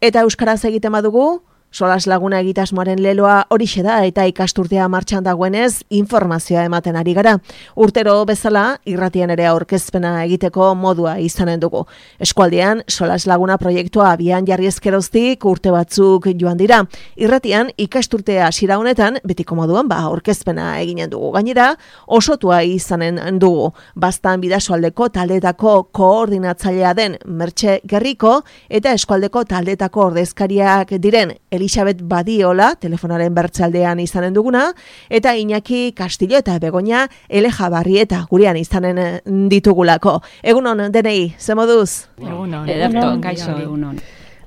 Eta euskaraz egiten badugu, Solas Laguna egitasmoaren leloa horixe da eta ikasturtea martxan dagoenez informazioa ematen ari gara. Urtero bezala irratian ere aurkezpena egiteko modua izanen dugu. Eskualdean Solas Laguna proiektua abian jarri ezkeroztik urte batzuk joan dira. Irratian ikasturtea hasiera honetan betiko moduan aurkezpena eginen dugu. Gainera osotua izanen dugu. Baztan Bidasoaldeko taldeetako koordinatzailea den Mertxe Gerriko eta eskualdeko taldeetako ordezkariak diren Elisabet Badiola, telefonaren bertzaldean izanen duguna, eta Iñaki Castillo eta Begoña Elejabarrieta gurean izanen ditugulako. Egunon, denei, ze moduz? Egunon, ederto, kaixo. Egunon.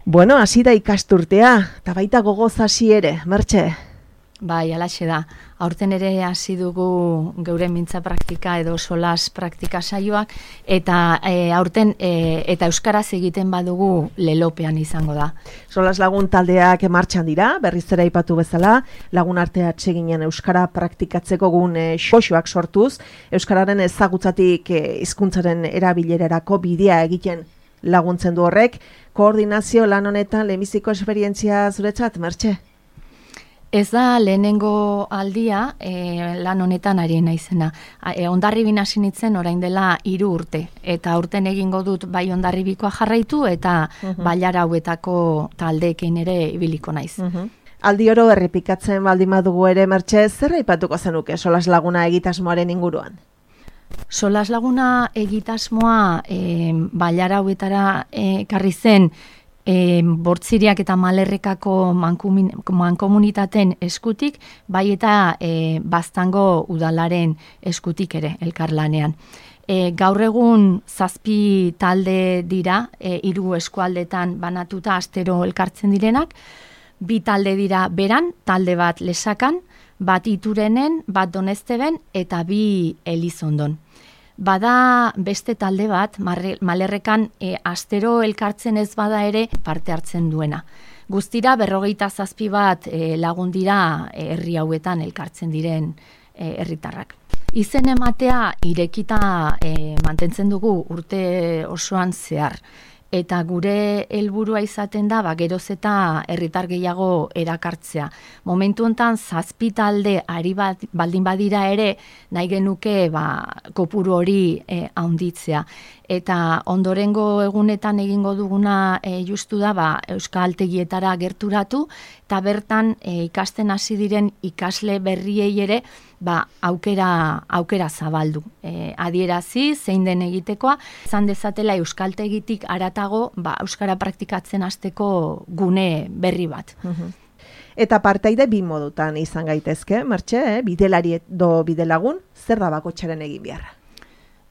Bueno, hasi da ikasturtea, eta baita gogoz hasi ere, Mertxe? Bai, alaxe da. Aurten ere hasi dugu geure mintza praktika edo solas praktika saioak, eta aurten eta euskaraz egiten badugu lelopean izango da. Solas Lagun taldeak martxan dira, berriz ere aipatu bezala, lagun artea atseginen euskara praktikatzeko gun xoxoak sortuz, euskararen ezagutzatik hizkuntzaren erabilerarako bidea egiten laguntzen du horrek. Koordinazio lan honetan lehenbiziko esperientzia zuretzat, Mertxe? Ez da lehenengo aldia lan honetan ari naizena. Hondarribin hasi nintzen orain dela 3 urte. Eta aurten egingo dut bai Hondarribikoa jarraitu eta bailara hauetako taldeekin ere ibiliko naiz. Aldi oro errepikatzen baldin badugu ere, Mertxe, zer aipatuko zenuke Solas Laguna egitasmoaren inguruan? Solas Laguna egitasmoa bailara hauetara ekarri zen Bortziriak eta Malerrekako mankomunitateen eskutik, bai eta Baztango udalaren eskutik ere elkarlanean. Gaur egun 7 talde dira, 3 eskualdetan banatuta astero elkartzen direnak, 2 talde dira Beran, talde bat Lesakan, bat Iturenen, bat Donezteben eta 2 Elizondon. Bada beste talde bat, Malerrekan astero elkartzen ez bada ere parte hartzen duena. Guztira 47 bat lagun dira herri hauetan elkartzen diren herritarrak. Izen ematea irekita mantentzen dugu urte osoan zehar. Eta gure helburua izaten da, geroz eta herritar gehiago erakartzea. Momentu honetan 7 talde ari baldin badira ere, nahi genuke kopuru hori handitzea. Eta ondorengo egunetan egingo duguna justu da, euskaltegietara gerturatu, eta bertan ikasten hasi diren ikasle berriei ere, aukera zabaldu. Adierazi, zein den egitekoa, izan dezatela euskaltegitik haratago, euskara praktikatzen hasteko gune berri bat. Eta partaide 2 modutan izan gaitezke, Mertxe, bidelari edo bidelagun, zer da bakoitzaren egin beharra?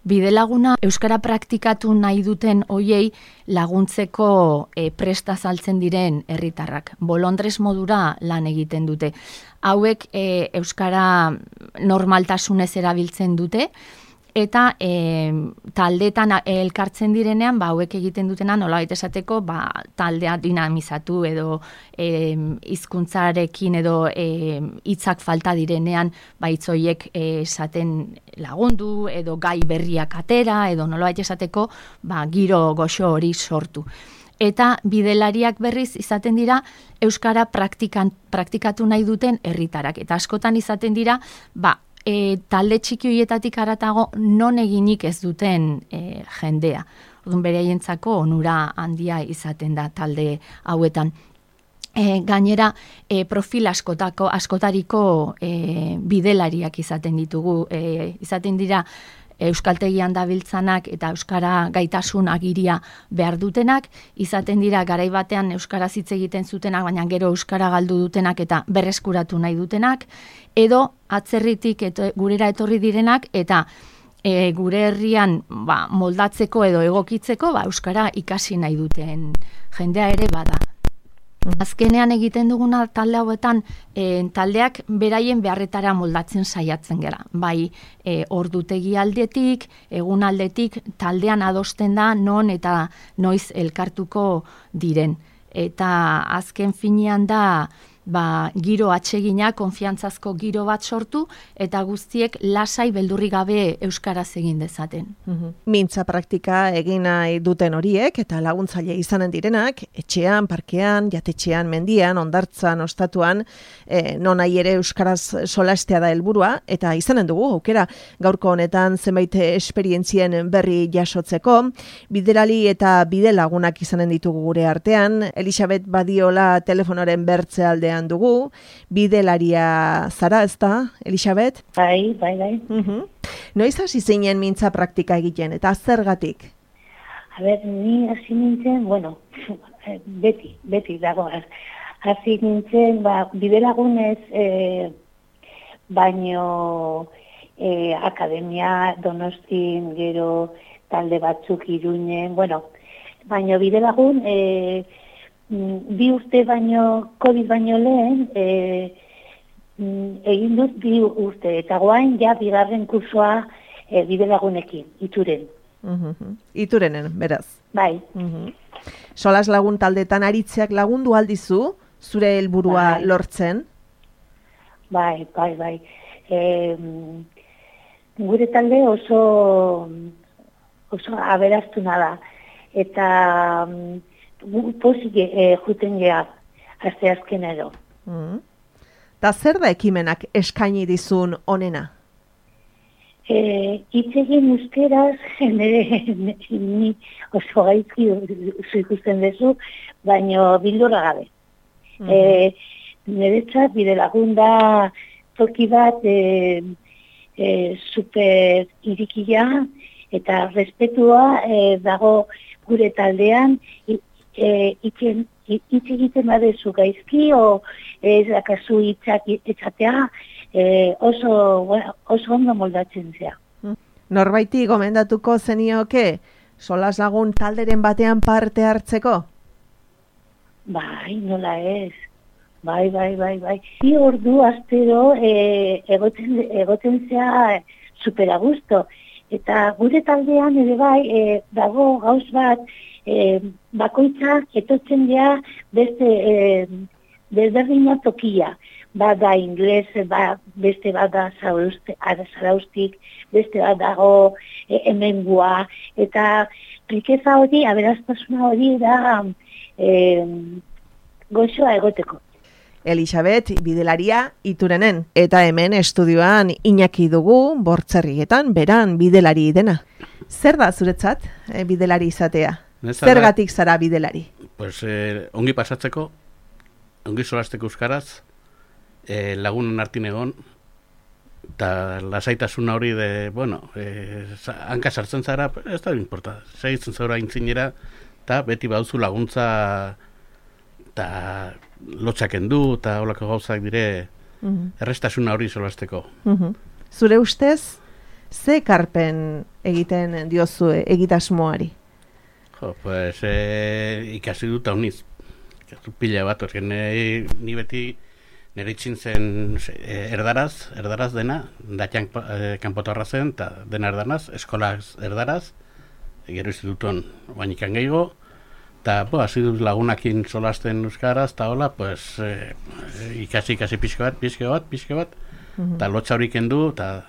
Bidelaguna euskara praktikatu nahi duten hoiei laguntzeko presta saltzen diren herritarrak. Bolondres modura lan egiten dute. Hauek euskara normaltasunez erabiltzen dute, eta taldeetan elkartzen direnean, hauek egiten dutena nolabait esateko, taldea dinamizatu edo hizkuntzarekin edo hitzak falta direnean, hitz horiek esaten lagundu edo gai berriak atera edo nolabait esateko, giro goxo hori sortu. Eta bidelariak berriz izaten dira euskara praktikatu nahi duten herritarak. Eta askotan izaten dira, talde txiki horietatik haratago non eginik ez duten jendea. Orduan beraientzako onura handia izaten da talde hauetan. Gainera, profil askotariko bidelariak izaten ditugu. Izaten dira euskaltegian dabiltzanak eta euskara gaitasun agiria behar dutenak, izaten dira garai batean euskaraz hitz egiten zutenak, baina gero euskara galdu dutenak eta berreskuratu nahi dutenak, edo atzerritik gurera etorri direnak eta gure herrian moldatzeko edo egokitzeko euskara ikasi nahi duten jendea ere bada. Azkenean egiten duguna talde hauetan, taldeak beraien beharretara moldatzen saiatzen gara. Bai, ordutegi aldetik, egun aldetik, taldean adosten da non eta noiz elkartuko diren. Eta azken finean da, giro atsegina, konfiantzazko giro bat sortu, eta guztiek lasai beldurri gabe euskaraz egin dezaten. Mintza praktika egin nahi duten horiek, eta laguntzaile izanen direnak, etxean, parkean, jatetxean, mendian, hondartzan, ostatuan, non nahi ere euskaraz solastea da helburua, eta izanen dugu, aukera, gaurko honetan zenbait esperientzien berri jasotzeko, biderali eta bidelagunak izanen ditugu gure artean, Elisabet Badiola telefonoren bertze aldean dugu, bidelaria zara, ezta, Elisabet? Bai. Noiz hasi zinen mintza praktika egiten, eta zergatik? A ber, ni hasi nintzen, bueno, beti dago, hasi nintzen, bidelagunez, baino akademia Donostin, gero talde batzuk Iruinen, bueno, baino bidelagun, bi urte baino, COVID baino lehen, egin dut bi urte, eta guain ja bigarren kursoa bidelagunekin, Ituren. Iturenen, beraz. Bai. Solas lagun taldetan aritzeak lagundu aldizu, zure helburua lortzen? Bai. Gure talde oso aberastuna da, eta pozik juten geha, aste azkenero. Ta zer da ekimenak eskaini dizun onena? Itzegin euskeraz, ni oso gaizki ikusten dezu, baino bildurra gabe. Niretzat bidelagun da toki bat super irikia eta respetua dago gure taldean, hitz egiten badezu gaizki, o ez dakazu hitzak etxatea, oso ondo moldatzen zea. Norbaiti gomendatuko zenioke solas lagun talderen batean parte hartzeko? Bai, nola ez. Bai. Bi ordu astero egoten zea supera gusto. Eta gure taldean ere bai, dago gauz bat, bakoitzak etotzen dea beste desberdina tokia. Bada ingles, beste bada zaraustik, beste bat dago hemengua, eta rikeza hori, aberastasuna hori da gozoa egoteko. Elisabet, bidelaria Iturenen, eta hemen estudioan Iñaki dugu, Bortzerrietan, beran bidelari dena. Zer da zuretzat bidelari izatea? Zergatik zara bidelari? Pues, ongi pasatzeko, ongi solasteko euskaraz, lagunen artin egon, eta lasaitasuna hori hanka sartzen zara, ez da importa, segitzen zara intzinera, eta beti bauzu laguntza, eta lotxaken du, eta holako gauzak dire, errestasuna hori solasteko. Zure ustez, ze ekarpen egiten diozu egitasmoari? Pues, ikasi dut hauniz, pila bat, ni beti nire itxintzen erdaraz dena, datian kanpotarra zen, eta dena erdanaz, eskolaz erdaraz, gero institutuan bainikan gehiago, eta hasi dut lagunakin solasten euskaraz, eta hola, ikasi pixko bat, eta lotxa horik kendu, eta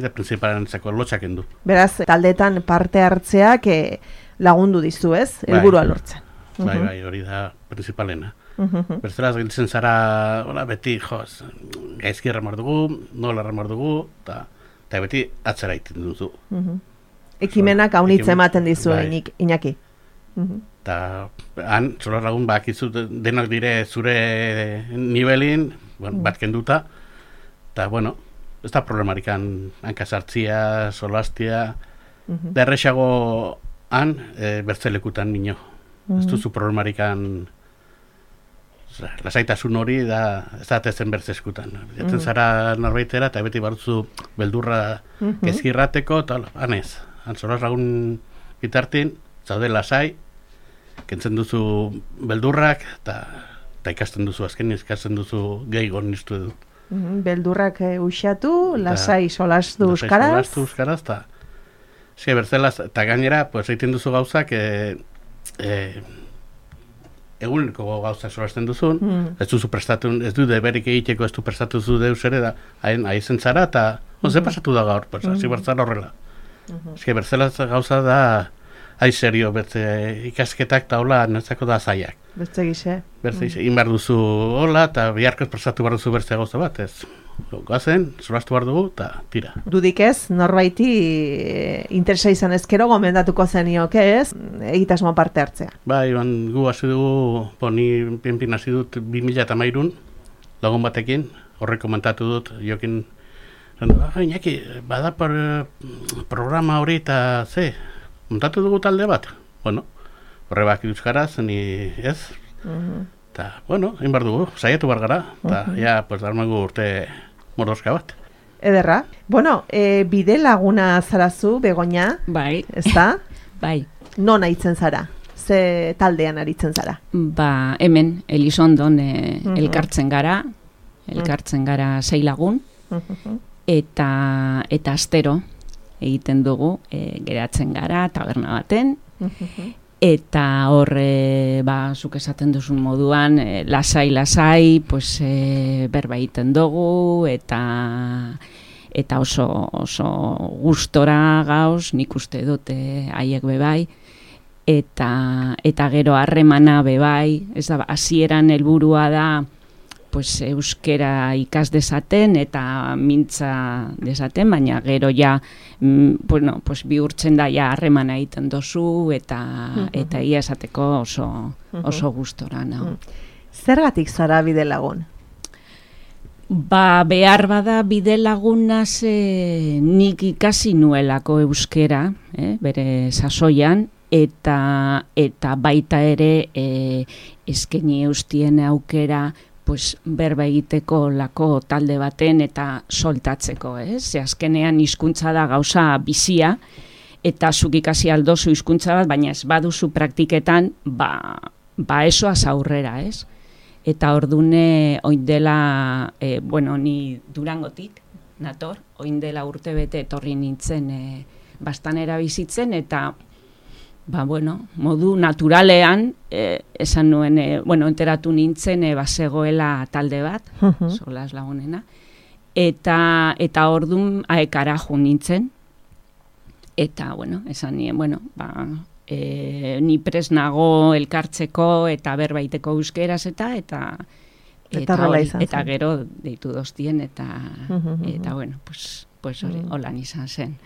principalen zeko lotxa kendu. Beraz, taldetan parte hartzeak lagundu dizu, ez? Helburua lortzen. Bai, hori da principalena. Bertzelaz giltzen zara, beti, gaizki erramar dugu, nola erramar dugu, eta beti atzera iten duzu. Ekimenak haunitz ematen dizu, Iñaki. Eta han, solar lagun bakizu denak dire zure nivelin, bat kenduta, eta, ez da problemarikan hankasartzia, solastia, da errexago han, bertzelekutan nino. Ez duzu problemarikan lasaitasun hori ez da tezen bertzeskutan. Jaten zara norbaitera eta beti barutzu beldurra gezkirrateko, eta hanez. Han solar lagun bitartin, zaude lasai, kentzen duzu beldurrak, eta ikasten duzu, azken ikasten duzu gehiago niztu edu. Beldurrak uxatu, lasai solastu euskaraz. Lasai solastu euskaraz, eta bertzelaz, eta gainera, egiten duzu gauzak, eguneko gauza solasten duzun, ez duzu prestatu, ez du deberik egiteko, ez du prestatu zu deus ere da, haizen zara, eta ze pasatu da gaur, pues, hasi bertzara horrela. Ez que berzela gauza da, serio, bertze ikasketak eta hola, netzako da zaiak. Bertze gize. Bertze gize, inbar duzu hola, eta biharkoz prestatu behar duzu bertze gauza bat, ez. Gazen, solastu behar dugu, eta tira. Dudik ez, norbaiti interesa izan ezkero gomendatuko zenioke ez, egitasmoa parte hartzea. Bai, gu hasi dugu, ni pinpin hasi dut 2013 lagun batekin, horrek komentatu dut, jokin, Iñaki, bada programa hori eta montatu dugu talde bat. Bueno, horre bak euskaraz, ni ez. Eta, bueno, egin behar dugu, saiatu behar gara, eta, pues, darmagu urte mordoska bat. Ederra. Bueno, bide laguna zarazu, Begoña. Bai. Ezta? Bai. Non aritzen zara? Ze taldean aritzen zara? Ba, hemen, Elizondon elkartzen gara 6 lagun, eta astero egiten dugu, geratzen gara, taberna baten, eta horre, zuk esaten duzun moduan, lasai, pues, berba egiten dugu, eta oso gustora gauz, nik uste dute haiek bebai, eta gero harremana bebai, ez da, hasieran helburua da, pues, euskera ikas dezaten eta mintza dezaten, baina gero ja, bueno, pues, bihurtzen da ja harremana egiten dozu eta ia esateko oso gustora nago. Zergatik zara bide lagun? Ba, behar bada bide lagunaz nik ikasi nuelako euskera, bere sasoian, eta baita ere eskaini eustien aukera pues, berba egiteko lako talde baten eta soltatzeko, Ze azkenean hizkuntza da gauza bizia, eta zuk ikasi aldozu hizkuntza bat, baina ez baduzu praktiketan, esoaz aurrera, Eta ordune oindela, bueno, ni Durangotik nator, oindela urte bete etorri nintzen bastanera bizitzen, eta bueno, modu naturalean, esan nuen, bueno, enteratu nintzen, bazegoela talde bat, solas lagunena, eta ordun aekara jo nintzen, eta, bueno, esan nien, bueno, ni prest nago elkartzeko eta berbaiteko euskeraz eta gero deitu doztien, eta bueno, pues holan izan zen.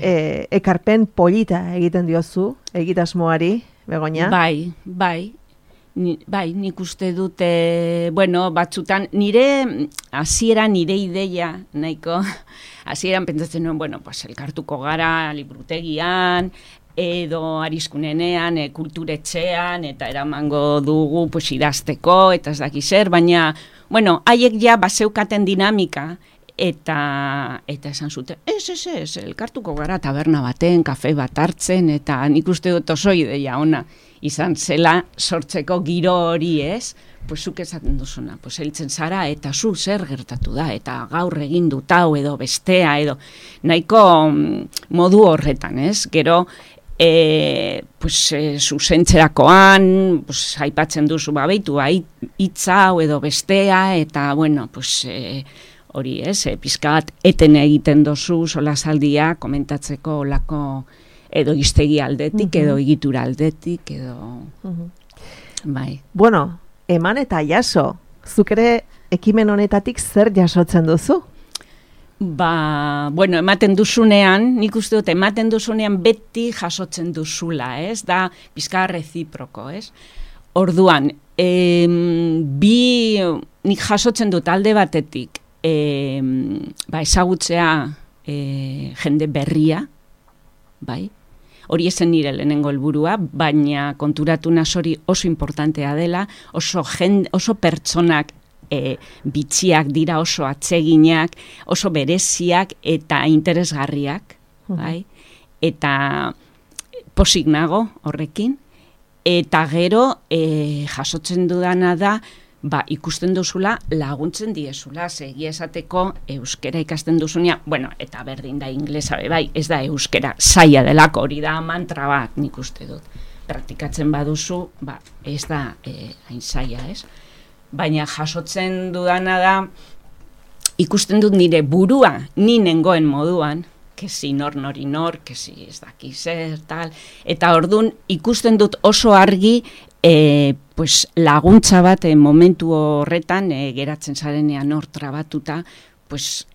Ekarpen polita egiten diozu, egitasmoari, Begoña? Bai, nik uste dute, bueno, batzutan, hasieran nire ideia, nahiko, hasieran pentsatzen nuen, bueno, pues elkartuko gara librutegian, edo arizkunenean, kulturetxean, eta eramango dugu pues, idazteko, eta ez daki zer, baina, bueno, haiek ja baseukaten dinamika, eta esan zuten, ez, elkartuko gara taberna baten, kafe bat hartzen, eta nik uste dut oso ideia ona izan zela sortzeko giro hori, pues zuk esaten duzuna, pues heltzen zara, eta zu zer gertatu da, eta gaur egin dut hau edo bestea, edo nahiko modu horretan, gero, pues zuzentzerakoan, pues aipatzen duzu babeitu, hitza hau edo bestea, eta bueno, pues hori pizka bat eten egiten dozu solasaldia komentatzeko olako edo iztegi aldetik, edo egitura aldetik, edo bai. Bueno, eman eta jaso, zuk ere ekimen honetatik zer jasotzen duzu? Bueno, ematen duzunean, nik uste dut, ematen duzunean beti jasotzen duzula, da pizka reziproko, Orduan, nik jasotzen dut alde batetik, ezagutzea jende berria, bai, hori esen nire lehenengo helburua, baina konturatu hori oso importantea dela, oso pertsonak bitxiak dira, oso atseginak, oso bereziak eta interesgarriak, bai? Eta posik nago horrekin, eta gero jasotzen dudana da, ikusten duzula laguntzen diezula, egia esateko euskera ikasten duzunean, bueno, eta berdin da inglesa bai, ez da euskera zaila delako, hori da mantra bat nik uste dut. praktikatzen baduzu, ez da hain zaila, ez? Baina jasotzen dudana da, ikusten dut nire burua ni nengoen moduan, kesi nori nor, kesi ez daki zer, tal, eta ordun ikusten dut oso argi pues, laguntza bat momentu horretan geratzen zarenean hor trabatuta, pues,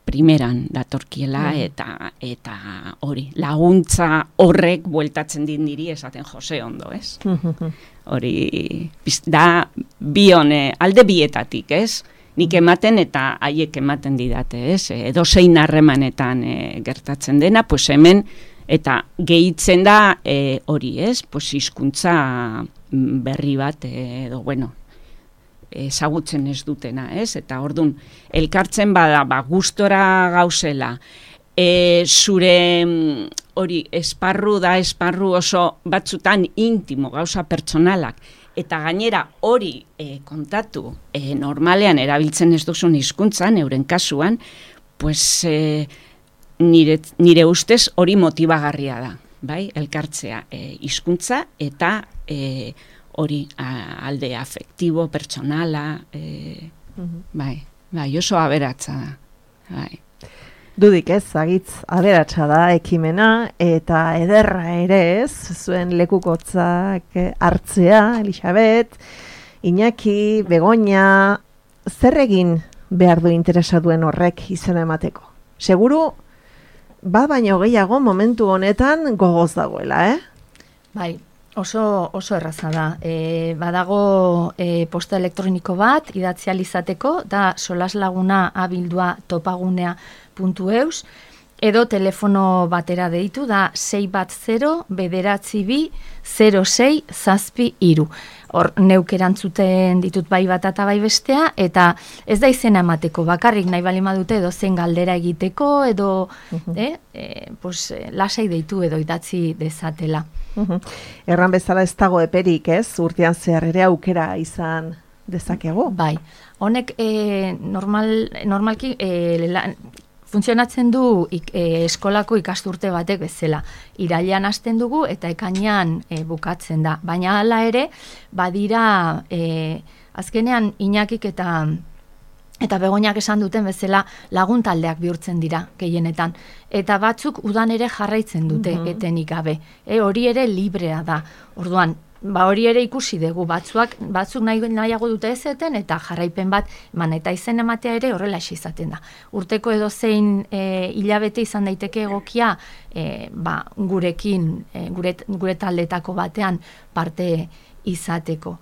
primeran datorkiela eta hori, laguntza horrek bueltatzen dit niri esaten Jose ondo, ez? Hori, da alde bietatik, ez? Nik ematen eta haiek ematen didate, ez? Edozein harremanetan gertatzen dena, pues hemen, eta gehitzen da hori, ez? Pues hizkuntza berri bat, edo, bueno, ezagutzen ez dutena, ez? Eta ordun elkartzen bada, gustora gauzela, zure hori esparru oso batzutan intimo, gauza pertsonalak, eta gainera hori kontatu normalean erabiltzen ez duzun hizkuntzan, euren kasuan, pues nire ustez hori motibagarria da, bai? Elkartzea hizkuntza eta hori alde afektibo, pertsonala, bai, oso aberatsa da, bai. Dudik ez, agitz aberatsa da ekimena, eta ederra ere ez, zuen lekukotzak hartzea, Elisabet, Iñaki, Begoña, zer egin behar du interesa duen horrek izena emateko? Seguru, baino gehiago momentu honetan gogoz dagoela, Bai, oso erraza da. Badago posta elektroniko bat, idatzi alizateko, da solaslaguna@abildua topagunea.eus, edo telefono batera deitu, da 610-992-06-3. Hor, neuk erantzuten ditut bai bat eta bai bestea, eta ez da izena emateko, bakarrik nahi bali madute edo zen galdera egiteko, edo lasai deitu edo idatzi dezatela. Erran bezala ez dago eperik, ez? Urtean zehar ere aukera izan dezakegu? Bai, honek normalki funtzionatzen du eskolako ikasturte batek bezala. Irailean hasten dugu eta ekainean bukatzen da. Baina hala ere, badira azkenean Iñakik eta Begoñak esan duten bezala laguntaldeak bihurtzen dira gehienetan. Eta batzuk udan ere jarraitzen dute etenik gabe. Hori ere librea da. Orduan, hori ere ikusi dugu, batzuk nahiago dute ezeten eta jarraipen bat eman eta izen ematea ere horrela izaten da. Urteko edozein hilabete izan daiteke egokia gurekin, gure taldetako batean parte izateko.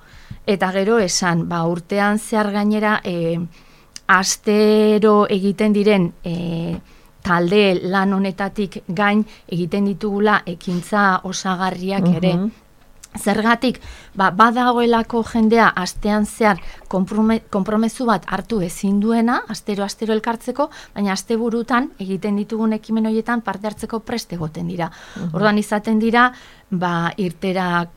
Eta gero esan, urtean zehar gainera astero egiten diren talde lan honetatik gain egiten ditugula ekintza osagarriak ere. Zergatik, badagoelako jendea astean zehar konpromezu bat hartu ezin duena, astero elkartzeko, baina asteburutan egiten ditugun ekimen horietan parte hartzeko prest egoten dira. Orduan izaten dira, irtera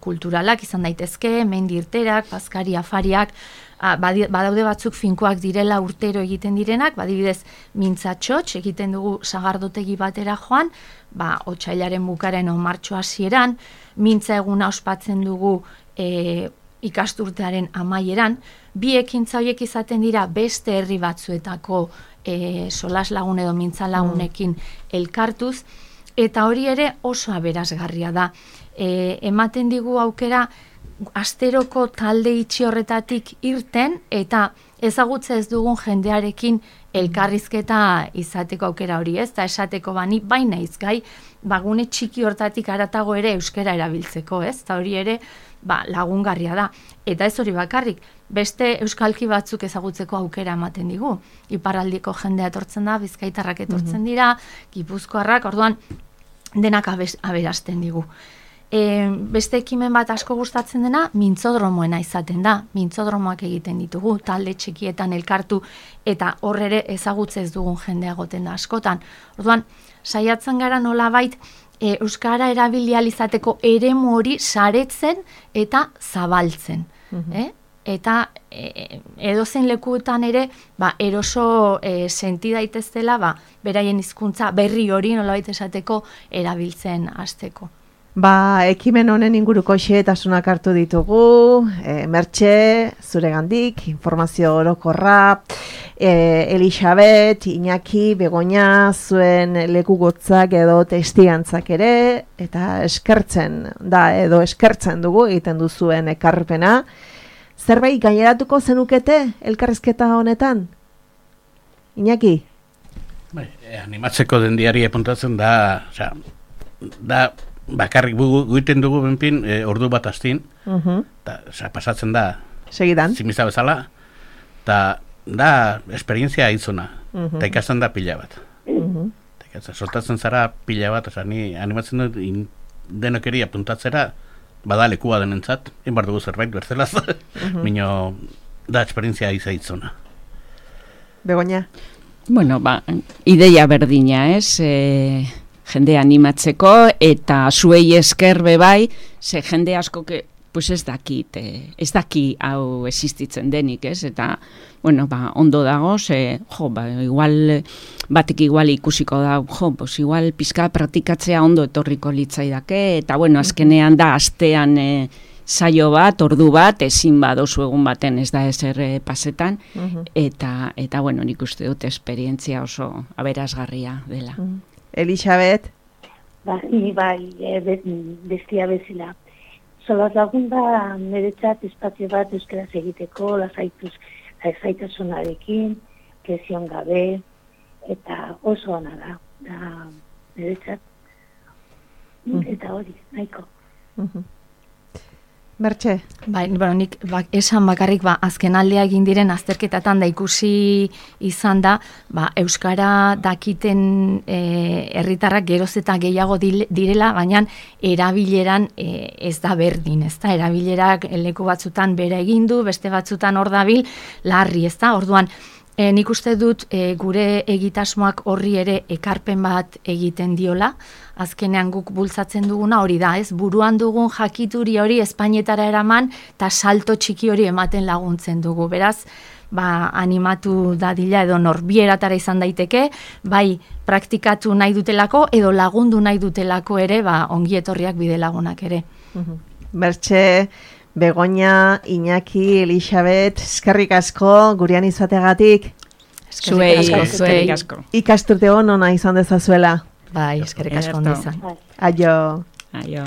kulturalak izan daitezke, mendi irterak, paskari afariak, badaude batzuk finkoak direla urtero egiten direnak, badibidez mintzatxotx egiten dugu sagardotegi batera joan, otsailaren bukaren o martxo hasieran, mintza eguna ospatzen dugu ikasturtearen amaieran, bi ekintza horiek izaten dira beste herri batzuetako solas lagun edo mintza lagunekin elkartuz, eta hori ere oso aberasgarria da. Ematen digu aukera asteroko talde itxi horretatik irten eta ezagutza ez dugun jendearekin elkarrizketa izateko aukera hori, ez? Eta esateko bani baina izgai, gune txiki hortatik haratago ere euskara erabiltzeko, ez? Eta hori ere lagungarria da. Eta ez hori bakarrik, beste euskalki batzuk ezagutzeko aukera ematen digu. Iparraldiko jendea etortzen da, bizkaitarrak etortzen dira, gipuzkoarrak, orduan denak aberasten digu. Beste ekimen bat asko gustatzen dena, mintzodromoena izaten da. Mintzodromoak egiten ditugu, talde txikietan elkartu, eta hor ere ezagutze ez dugun jendea goten da askotan. Orduan, saiatzen gara nolabait euskara erabilializateko eremu hori saretzen eta zabaltzen. Eta edozein lekuetan ere eroso senti daitezela beraien hizkuntza berri hori nolabait esateko erabiltzen hasteko. Ekimen honen inguruko xehetasunak hartu ditugu, Mertxe, zuregandik, informazio orokorra, Elisabet, Iñaki, Begoña, zuen lekugotzak edo testigantzak ere, eta eskertzen dugu egiten duzuen ekarpena. Zerbait gaineratuko zenukete elkarrizketa honetan? Iñaki? Animatzeko dendiari apuntatzen da bakarrik guiten dugu benpin ordu bat astin, pasatzen da segidan zimiza bezala, eta da esperientzia izuna, eta ikasten da pila bat. Sortatzen zara pila bat, ni animatzen dut denokeri apuntatzera, bada lekua denentzat, inbar dugu zerbait berzelaz, minio da esperientzia izuna. Begoña? Bueno, ideia berdina, jende animatzeko, eta zuei esker bebai, ze jende asko pues ez daki hau existitzen denik, eta, bueno, ondo dago, igual, batek igual ikusiko da, pues igual pizka praktikatzea ondo etorriko litzaidake, eta, bueno, azkenean da, astean saio bat, ordu bat, ezin badozu egun baten ez da ezer pasetan, eta, bueno, nik uste dut esperientzia oso aberasgarria dela. Elisabet? Bai, bestia bezala. Solaz lagun da, niretzat espazio bat euskaraz egiteko, lasaitasunarekin, presion gabe, eta oso ona da, niretzat. Eta hori, nahiko. Mertxe? Nik esan bakarrik azken aldea egin diren azterketatan da ikusi izan da, euskara dakiten herritarrak geroz eta gehiago direla, baina erabileran ez da berdin, ez da, erabilerak leku batzutan bere egin du, beste batzutan hor dabil, larri, ez da, orduan, nik uste dut gure egitasmoak horri ere ekarpen bat egiten diola, azkenean guk bultzatzen duguna hori da, ez? Buruan dugun jakituri hori Espainetara eraman, eta salto txiki hori ematen laguntzen dugu. Beraz, animatu dadila edo norbieratara izan daiteke, bai praktikatu nahi dutelako edo lagundu nahi dutelako ere, ongi etorriak bide lagunak ere. Mertxe, Begoña, Iñaki, Elisabet, eskerrik asko, gurean izategatik. Eskerrik asko. Ikasturte ona izan dezazuela. Bai, eskerrik asko ondo izan. Aio. Aio.